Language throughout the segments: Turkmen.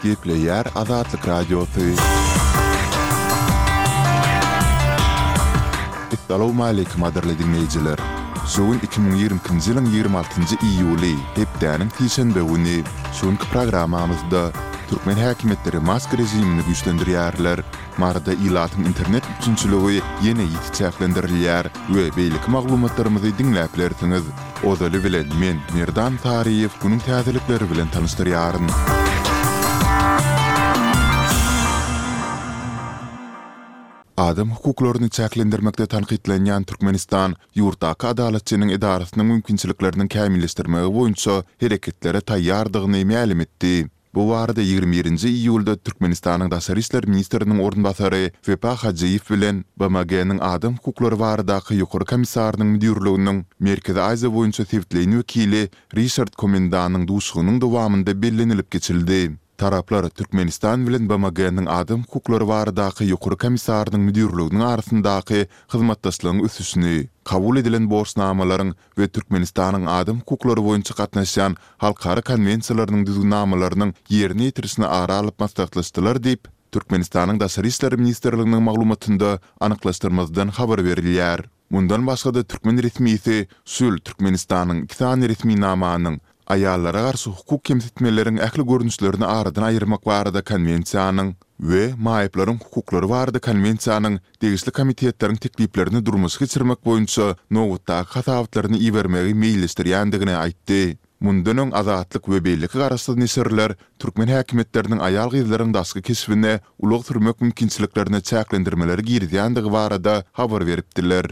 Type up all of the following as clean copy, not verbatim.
Gepleýär Azatlyk Radiosy. Essalawmaleýkim gadyrly diňleýjiler! Şu gün 2022-nji ýylyň 26-njy iýuly, hepdäniň sişenbe güni. Şu günki programmamyzda türkmen häkimiýetleri maska režimini güýçlendirýärler. Maryda ilatyň internet üpjünçiligi ýene ýiti çäklendirilýär we beýleki maglumatlarymyzy diňläp bilersiňiz. Ozaly bilen men, Merdan Saryýew günüň täzelikleri bilen tanyşdyrýaryn. Adam hukuklaryny çäklendirmekde tankytlanýan Türkmenistan ýurtdaky Adalatçynyň edarasynyň mümkinçilikleriniň kämilleşdirmegi boýunça hereketlere taýýardygyny mälim etdi. Bu barada 21 nji iýulda Türkmenistanyň daşary işler ministriniň orunbasary Wepa Hajyýew bilen BMG-niň Adam hukuklary baradaky Ýokary komissarynyň müdirliginiň Merkezi Aziýa boýunça sebitleýin wekili Rişard Komendanyň duşuşygynyň dowamynda bellenilip geçildi. Taraplar Türkmenistan bilen BMG-niň Adam hukuklary baradaky Ýokary komissarynyň müdirliginiň arasyndaky hyzmatdaşlygyň ösüşini, kabul edilen borçnamalaryň we Türkmenistanyň adam hukuklary boýunça gatnaşýan halkara konwensiýalarynyň düzgünnamalarynyň ýerine ýetirilişini ara alyp maslahatlaşdylar diýip, Türkmenistanyň Daşary işler ministrliginiň maglumatynda anyklaşdyrmazdan habar berilýär. Mundan başga-da türkmen resmisi şu ýyl Türkmenistanyň iki sany resminamanyň, Aýallara garşy hukuk kemsitmeleriň ähli görnüşlerini aradan aýyrmak barada Konwensiýanyň we Maýyplaryň hukuklary barada Konwensiýanyň degişli komitetleriň tekliplerini durmuşa geçirmek boýunça nobatdaky hasabatlaryny ibermegi meýilleşdirýändigini aýtdy. Mundan öň Azatlyk we beýleki garaşsyz neşirler türkmen häkimiýetleriniň aýal-gyzlaryň daşky keşbine, ulag sürmek mümkinçiliklerine çäklendirmeleri girizýändigi barada habar beripdiler.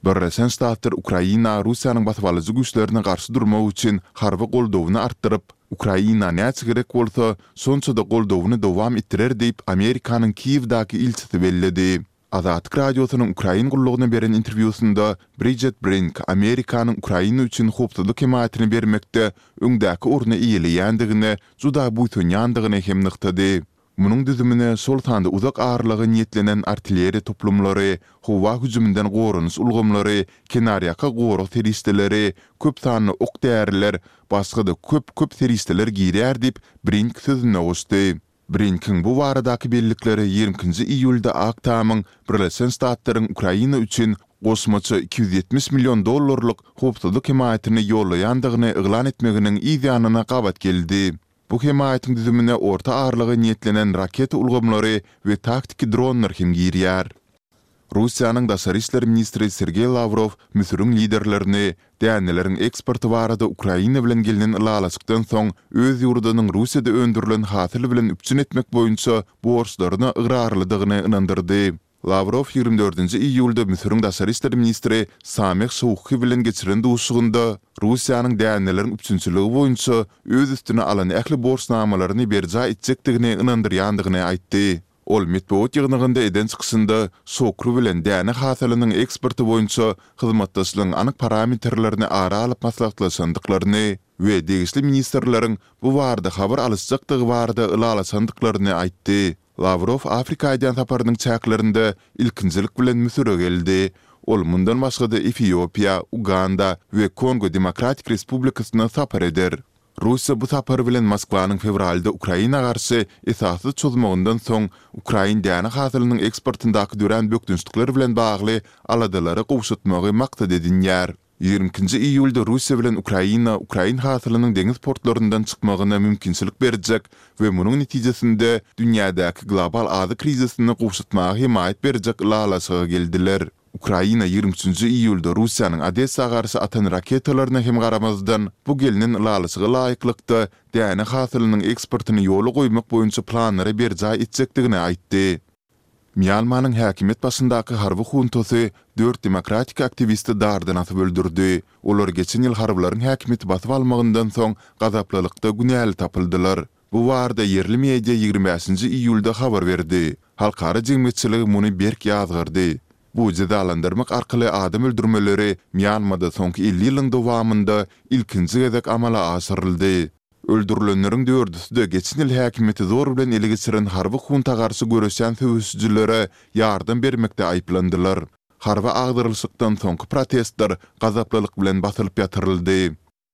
Birleşen Ştatlar Ukraina Russiýanyň basybalyjy güýçlerine garşy durmak üçin harby goldawyny artdyryp, Ukraina näçe gerek bolsa, şonça-da goldawyny dowam etdirer diýip, Amerikanyň Kiýewdäki ilçisi belledi. Azatlyk Radiosynyň Ukrain gullugyna beren interwýusynda Bridjet Brink Amerikanyň Ukraina üçin howpsuzlyk hemaýatyny bermekde öňdäki orny eýeleýändigine juda buýsanýandygyny hem nygtady. Munuň düzümine şol sanda uzak aralyga niýetlenen artilleriýa toplumlary, howa hüjüminden goranyş ulgamlary, kenarýaka gorag serişdeleri, köp sanly ok-däriler, başga-da köp-köp serişdeler girýär diýip, Brink sözüne goşdy. Brinkiň bu baradaky bellikleri 22-nji iýulda Ak Tamyň Birleşen Ştatlaryň Ukraina üçin goşmaça 270 million dollarlyk howpsuzlyk hemaýatyny ýollaýandygyny yglan etmeginiň yz ýanyna gabat geldi. Bu hemaýatyň düzümine orta aralyga niýetlenen raketa ulgamlary we taktiki dronlar hem girýär. Russiýanyň daşary işler ministri Sergeý Lawrow Müsüriň liderlerini däneleriň eksporty barada Ukraina bilen gelnen ylalaşykdan soň öz ýurdunyň Russiýada öndürilen hasyl bilen üpjün etmek boýunça borçlaryna ygrarlydygyny ynandyrdy. Lawrow 24 nji iýulda Müsüriň daşary işler ministri Sameh Şouki bilen geçiren duşuşygynda Russiýanyň däneleriň üpjünçiligi boýunça öz üstüne alan ähli borçnamalaryny berjaý etjekdigini ynandyrýandygyny aýtdy. Ol metbugat ýygnagynda eden çykyşynda Şokri bilen däne hasylynyň eksporty boýunça hyzmatdaşlygyň anyk parametrlerini ara alyp maslahatlaşandyklaryny we degişli ministrleriň bu barada habar alyşjakdygy barada ylalaşandyklaryny aýtdy. Lawrow Afrika edýän saparynyň çäklerinde ilkinjilik bilen Müsüre geldi. Ol mundan başga-da Efiopiýa, Uganda we Kongo Demokratik Respublikasyna sapar eder. Russiýa bu sapary bilen Moskwanyň fewralda Ukraina garşy esassyz çozmagyndan soň ukrain däne hasylynyň eksportyndaky dörän bökdençlikler bilen bagly aladalary gowşatmagy maksat edinýär. 22-nji iýulda Russiýa bilen Ukraina ukrain hasylynyň deňiz portlaryndan çykmagyna mümkinçilik berjek we munuň netijesinde dünýädäki global azyk krizisini gowşatmaga hemaýat berjek ylalaşyga geldiler. Ukraina 23-nji iýulda Russiýanyň Odessa garşy atan raketalaryna hem garamazdan, bu gelnen ylalaşyga laýyklykda däne hasylynyň eksportyny ýola goýmak boýunça planlary berjaý etjekdigini aýtdy. Mýanmanyň häkimiýet başyndaky harby huntasy dört demokratik aktiwisti dardan asyp öldürdi. Olar geçen ýyl harbylaryň häkimiýeti basyp almagyndan soň gazaplylykda günäli tapyldylar. Bu barada ýerli media 25-nji iýulda habar berdi. Halkara jemgyýetçiligi muny berk ýazgardy. Bu jezalandyrmak arkaly adam öldürmeleri Mýanmada soňky 50 ýylyň dowamynda ilkinji gezek amala aşyryldy. Öldürilenleriň dördüsi-de geçen ýyl häkimiýeti zor bilen ele geçiren harby hunta garşy göreşýän söweşijilere ýardam bermekde aýyplandylar. Harby agdarylyşykdan soňky protestler gazaplylyk bilen basylyp ýatyryldy.